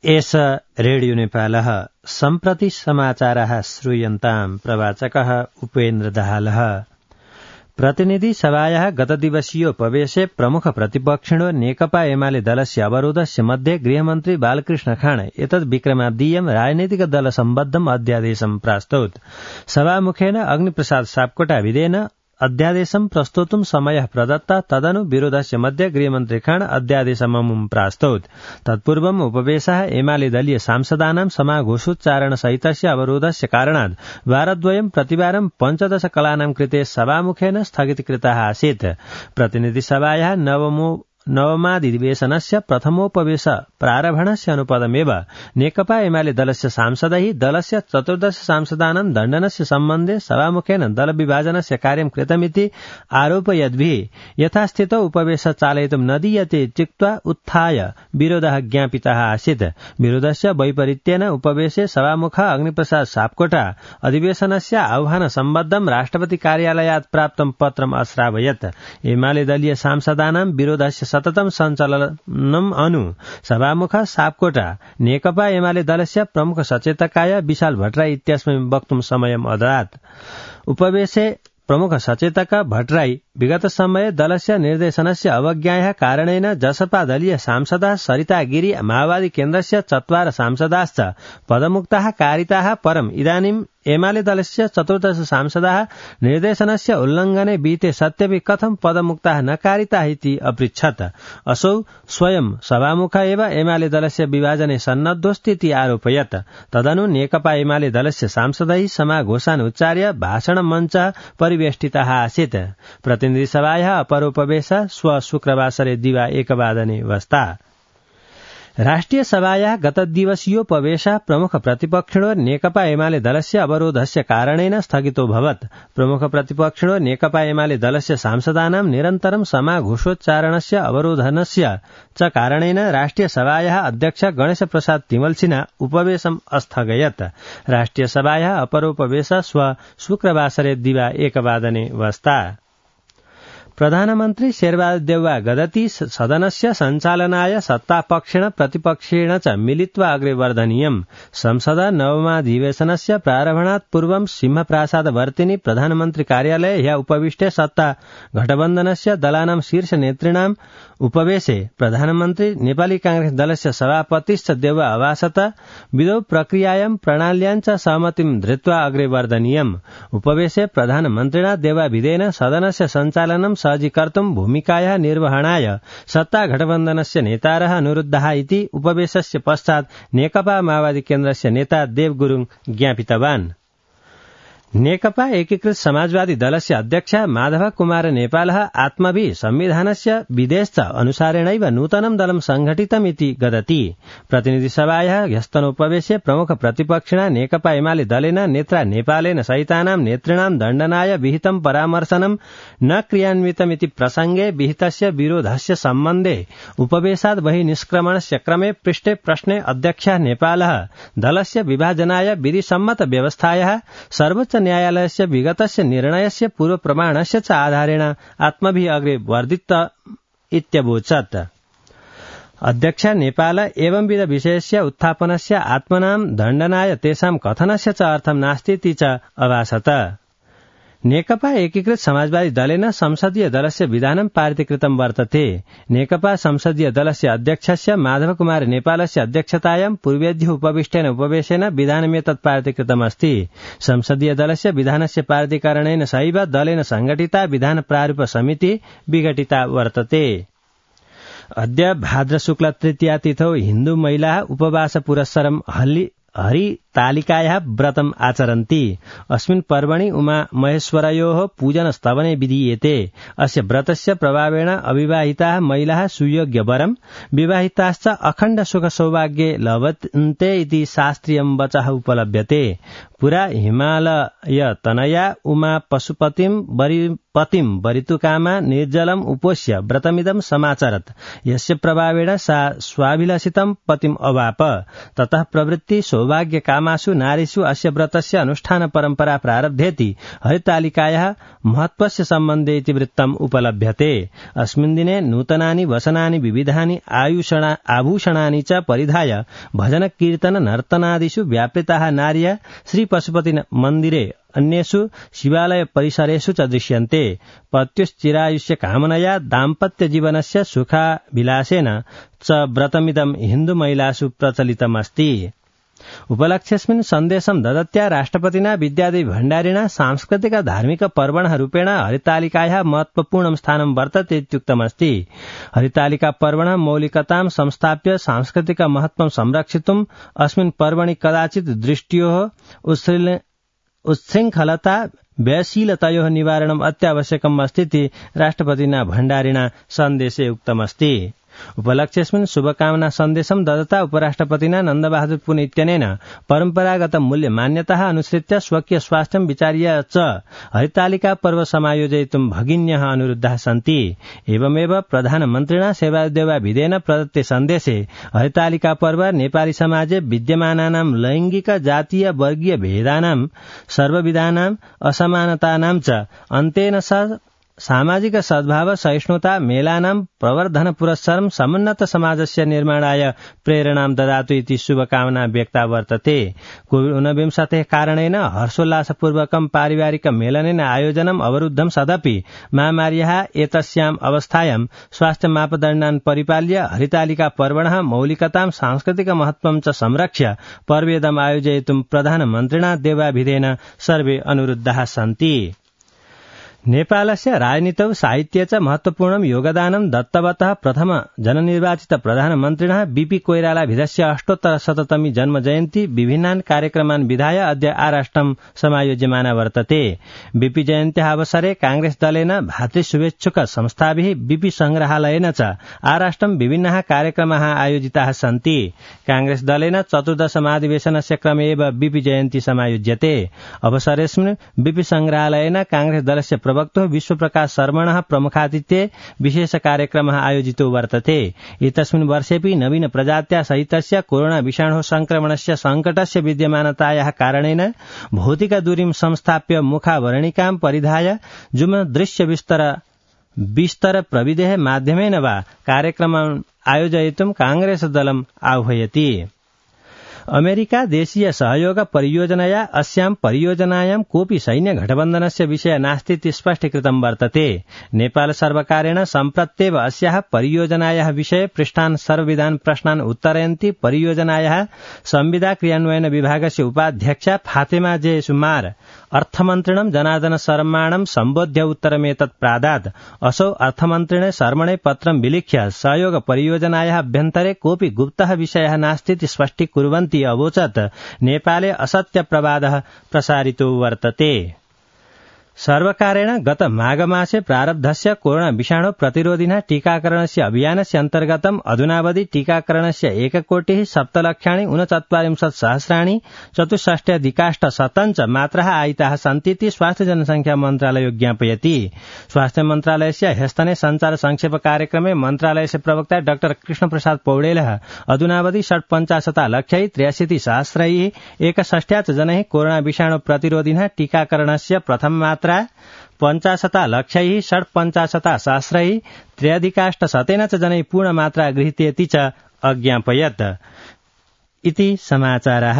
एष रेडियो नेपालः सम्प्रति समाचारः श्रूयन्ताम् प्रवाचकः उपेन्द्र दाहालः। प्रतिनिधि सभायाः गतदिवसीयोपवेशे प्रमुख प्रतिपक्षिणो नेकपा एमाले दलस्य अवरोधस्य मध्ये गृहमन्त्री बालकृष्ण खाँड एतद् विक्रमाद्यं राजनैतिक दल सम्बद्धम् अध्यादेशं प्रास्तौत्। सभामुखेन अग्निप्रसाद सापकोटा विधेयन अध्यादेशं प्रस्तोतुं समयः प्रदत्तः तदनु विरोधस्य मध्ये गृहमन्त्री खाँड अध्यादेशममुं प्रास्तौत्। तत्पूर्वम् उपवेशः एमाले दलीय सांसदानां समाघोषोच्चारण सहितस्य अवरोधस्य कारणात् वारद्वयं प्रतिवारं 15 कलानां कृते सभामुखेन स्थगितीकृतः आसीत्। प्रतिनिधिसभायाः नवमाधिवेशनस्य प्रथमोपवेश प्रारम्भणस्य अनुपदमेव नेकपा एमाले दलस्य सांसदैः दलस्य 14 सांसदानां दण्डनस्य सम्बन्धे सभामुखेन दलविभाजनस्य कार्यं कृतमिति आरोपयद्भिः यथास्थितौ उपवेश चालयितुं न दीयते चित्वा उत्थाय विरोधः ज्ञापितः आसीत्। विरोधस्य वैपरीत्येन उपवेशे सभामुखः अग्निप्रसाद सापकोटा अधिवेशनस्य आह्वान सम्बद्धं राष्ट्रपति कार्यालयात् प्राप्तं पत्रम् अश्रावयत्। एमाले दलीय सांसदानां विरोधस्य सततं सञ्चालनम् अनु सभामुखः सापकोटा नेकपा एमाले दलस्य प्रमुख सचेतकाय विशाल भट्टराई इत्यस्मै वक्तुं समयम् अददात्। उपवेशे प्रमुख सचेतक भट्टराई विगत समये दलस्य निर्देशनस्य अवज्ञायाः कारणेन जसपा दलीय सांसदः सरिता गिरी माओवादी केन्द्रस्य 4 सांसदाश्च पदमुक्ताः कारिताः परम् इदानीं एमाले दलस्य 14 सांसदाः निर्देशनस्य उल्लङ्घने बीते सत्यपि कथं पदमुक्ताः न कारिताः इति अपृच्छत्। असौ स्वयं सभामुख एव एमाले दलस्य विभाजने सन्नद्धोस्तीति आरोपयत्। तदनु नेकपा एमाले दलस्य सांसदैः समाघोषान् उच्चार्य भाषण मञ्च परिवेष्टितः आसीत्। प्रतिनिधिसभायाः अपरोपवेशः शुक्रवासरे दिवा 1 वादने वस्ता। राष्ट्रिय सभायाः गतदिवसीयोपवेशः प्रमुख प्रतिपक्षिणो नेकपा एमाले दलस्य अवरोधस्य कारणेन स्थगितोऽभवत्। प्रमुख प्रतिपक्षिणो नेकपा एमाले दलस्य सांसदानां निरन्तरं समाघोषोच्चारणस्य अवरोधनस्य च कारणेन राष्ट्रिय सभायाः अध्यक्ष गणेश प्रसाद तिमल्सिना उपवेशम् अस्थगयत्। राष्ट्रिय सभायाः अपरोपवेशः शुक्रवासरे दिवा 1 वादने वस्ता। प्रधानमन्त्री शेरबहादुर देउवा गदति सदनस्य सञ्चालनाय सत्तापक्षेण प्रतिपक्षेण च मिलित्वा अग्रे वर्धनीयम्। संसद नवमाधिवेशनस्य प्रारम्भणात् पूर्वं सिंहप्रासादवर्तिनि प्रधानमन्त्री कार्यालये ह्यः उपविष्टे सत्ता गठबन्धनस्य दलानां शीर्ष नेतॄणाम् उपवेशे प्रधानमन्त्री नेपाली कांग्रेस दलस्य सभापतिश्च देउवा अभासत विधौ प्रक्रियायां प्रणाल्यां च सहमतिं धृत्वा अग्रे वर्धनीयम्। उपवेशे प्रधानमन्त्रिणा देउवा विधेयन सदनस्य सञ्चालनं सहजीकर्तुं भूमिकायाः निर्वहणाय सत्ता गठबन्धनस्य नेतारः अनुरुद्धाः इति उपवेशस्य पश्चात् नेकपा माओवादी केन्द्रस्य नेता देव गुरुङ ज्ञापितवान्। नेकपा एकीकृत समाजवादी दलस्य अध्यक्ष माधव कुमार नेपालः आत्मभिः संविधानस्य विधेश्च अनुसारेणैव नूतनं दलं संघटितमिति गदति। प्रतिनिधिसभायाः ह्यस्तनोपवेशे प्रमुख प्रतिपक्षिणा नेकपा एमाले दलेन नेत्रा नेपालेन सहितानां नेतॄणां दण्डनाय विहितं परामर्शनं न क्रियान्वितमिति प्रसंगे विहितस्य विरोधस्य सम्बन्धे उपवेशात् बहिः निष्क्रमणस्य क्रमे पृष्टे प्रश्ने अध्यक्षः नेपालः दलस्य विभाजनाय विधिसम्मत व्यवस्थायाः सर्वोच्च न्यायालयस्य विगतस्य निर्णयस्य पूर्वप्रमाणस्य च आधारेण आत्मभिः अग्रे वर्धित इत्यवोचत्। अध्यक्ष नेपाल एवंविध विषयस्य उत्थापनस्य आत्मनां दण्डनाय तेषां कथनस्य च अर्थं नास्तीति च अभासत। नेकपा एकीकृत समाजवादी दलेन संसदीय दलस्य विधानं पारितीकृतं वर्तते। नेकपा संसदीय दलस्य अध्यक्षस्य माधव कुमार नेपालस्य अध्यक्षतायां पूर्वेद्युः उपविष्टेन उपवेशेन विधानमेतत् पारितीकृतमस्ति। संसदीय दलस्य विधानस्य पारितीकरणेन सहैव दलेन संघटिता विधान प्रारूप समिति विघटिता वर्तते। अद्य भाद्र शुक्ल तृतीया तिथौ हिन्दू महिलाः उपवास पुरस्सरं हरितालिकायाः व्रतम् आचरन्ति। अस्मिन् पर्वणि उमा महेश्वरयोः पूजन स्तवने विधीयते। अस्य व्रतस्य प्रभावेण अविवाहिताः महिलाः सुयोग्य वरम्, विवाहिताश्च अखण्ड सुख सौभाग्ये लभन्ते इति शास्त्रीयं वचः उपलभ्यते। पुरा हिमालय तनया उमा पशुपतिं वरितुकामा निर्जलम् उपोष्य व्रतमिदं समाचरत्। यस्य प्रभावेण सा स्वाभिलषितं पतिम् अवाप। ततः प्रवृत्ति सौभाग्य काम ग्रामासु नारीषु अस्य व्रतस्य अनुष्ठान परम्परा प्रारब्धेति हरितालिकायाः महत्त्वस्य सम्बन्धे इतिवृत्तम् उपलभ्यते। अस्मिन् दिने नूतनानि वसनानि विविधानि आभूषणानि च परिधाय भजन कीर्तन नर्तनादिषु व्यापृताः नार्यः श्रीपशुपति मन्दिरे अन्येषु शिवालय परिसरेषु च दृश्यन्ते। पत्युश्चिरायुष्य कामनया दाम्पत्यजीवनस्य सुखाभिलाषेन च व्रतमिदं हिन्दुमहिलासु प्रचलितमस्ति। उपलक्ष्यस्मिन् सन्देशं ददत्या राष्ट्रपतिना विद्यादेवी भण्डारिणा सांस्कृतिक धार्मिक पर्वणः रूपेण हरितालिकायाः महत्वपूर्णं स्थानं वर्तते इत्युक्तमस्ति। हरितालिका पर्वणः मौलिकतां संस्थाप्य सांस्कृतिक महत्वं संरक्षितुम् अस्मिन् पर्वणि कदाचित् दृष्ट्योः उच्छृङ्खलता व्ययशीलतयोः निवारणम् अत्यावश्यकम् अस्तीति राष्ट्रपतिना भण्डारिणा सन्देशे उक्तमस्ति। उपलक्ष्यस्मिन् शुभकामना सन्देशं ददता उपराष्ट्रपतिना नन्दबहादुर पुन इत्यनेन परम्परागत मूल्य मान्यताः अनुसृत्य स्वकीय स्वास्थ्यं विचार्य च हरितालिका पर्व समायोजयितुं भगिन्यः अनुरुद्धाः सन्ति। एवमेव प्रधानमन्त्रिणा सेवादेवाभिधेन प्रदत्ते सन्देशे हरितालिका पर्व नेपाली समाजे विद्यमानानां लैङ्गिक जातीय वर्गीय भेदानां सर्वविधानां असमानतानां च अन्तेन सामाजिक सद्भाव सहिष्णुता मेलानां प्रवर्धन पुरस्सरं समुन्नत समाजस्य निर्माणाय प्रेरणां ददातु इति शुभकामना व्यक्ता वर्तते। कोविड-19 कारणेन हर्षोल्लासपूर्वकं पारिवारिक मेलनेन आयोजनम् अवरुद्धं सदपि महामार्याः एतस्याम् अवस्थायां स्वास्थ्य मापदण्डान् परिपाल्य हरितालिका पर्वणः मौलिकतां सांस्कृतिक महत्वं च संरक्ष्य पर्वेदम् आयोजयितुं प्रधानमन्त्रिणा देवाभिधेन सर्वे अनुरुद्धाः सन्ति। नेपालस्य राजनीतौ साहित्ये च महत्वपूर्णं योगदानं दत्तवतः प्रथम जननिर्वाचित प्रधानमन्त्रिणः बीपी कोइरालाभिधस्य 800तमी जन्मजयन्ती विभिन्नान् कार्यक्रमान् विधाय अद्य आराष्ट्रं समायोज्यमाना वर्तते। बीपी जयन्त्याः अवसरे कांग्रेस दलेन भातृशुभेच्छुक संस्थाभिः बीपी संग्रहालयेन च आराष्ट्रं विभिन्नाः कार्यक्रमाः आयोजिताः सन्ति। कांग्रेस दलेन 14 महाधिवेशनस्य क्रमे एव बीपी जयन्ती समायोज्यते। अवसरेऽस्मिन् बीपी संग्रहालयेन कांग्रेस दलस्य प्रवक्तो विश्वप्रकाश शर्मणः प्रमुखातिथ्ये विशेष कार्यक्रमः आयोजितो वर्तते। एतस्मिन् वर्षेऽपि नवीन प्रजात्या सहितस्य कोरोना विषाणोः संक्रमणस्य सङ्कटस्य विद्यमानतायाः कारणेन भौतिक दूरीं संस्थाप्य मुखावरणिकां परिधाय जुम दृश्य विस्तर प्रविधेः माध्यमेन वा कार्यक्रमम् आयोजयितुं कांग्रेस दलम् आह्वयति। अमेरिका देशीय सहयोग परियोजनया अस्यां परियोजनायां कोऽपि सैन्य गठबन्धनस्य विषय नास्ति इति स्पष्टीकृतं वर्तते। नेपाल सर्वकारेण सम्प्रत्येव अस्याः परियोजनायाः विषये पृष्ठान् सर्वविधान् प्रश्नान् उत्तरयन्ती परियोजनायाः संविदा क्रियान्वयन विभागस्य उपाध्यक्षा फातेमा जे सुमार अर्थमन्त्रिणं जनार्दन शर्माणं सम्बोध्य उत्तरमेतत् प्रादात्। असौ अर्थमन्त्रिणे शर्मणे पत्रं विलिख्य सहयोग परियोजनायाः अभ्यन्तरे कोऽपि गुप्तः विषयः नास्ति इति स्पष्टीकुर्वन्ति अवोचत् नेपाले असत्य प्रवादः प्रसारितो वर्तते। सर्वकारेण गत माघमासे प्रारब्धस्य कोरोना विषाणु प्रतिरोधिनः टीकाकरणस्य अभियानस्य अन्तर्गतम् अधुनावधि टीकाकरणस्य 1,40,69,40,000 64,000 मात्राः आयिताः सन्ति इति स्वास्थ्य जनसंख्या मन्त्रालयो ज्ञापयति। स्वास्थ्य मन्त्रालयस्य ह्यस्तने संचार संक्षेप कार्यक्रमे मन्त्रालयस्य प्रवक्ता डाक्टर कृष्णप्रसाद पौडेलः अधुनावधि 65,63,000 जनैः कोरोना विषाणु प्रतिरोधिनः टीकाकरणस्य प्रथम 50,65,63,000 च जनैः पूर्णमात्रा गृहीतेति च अज्ञापयत् इति समाचारः।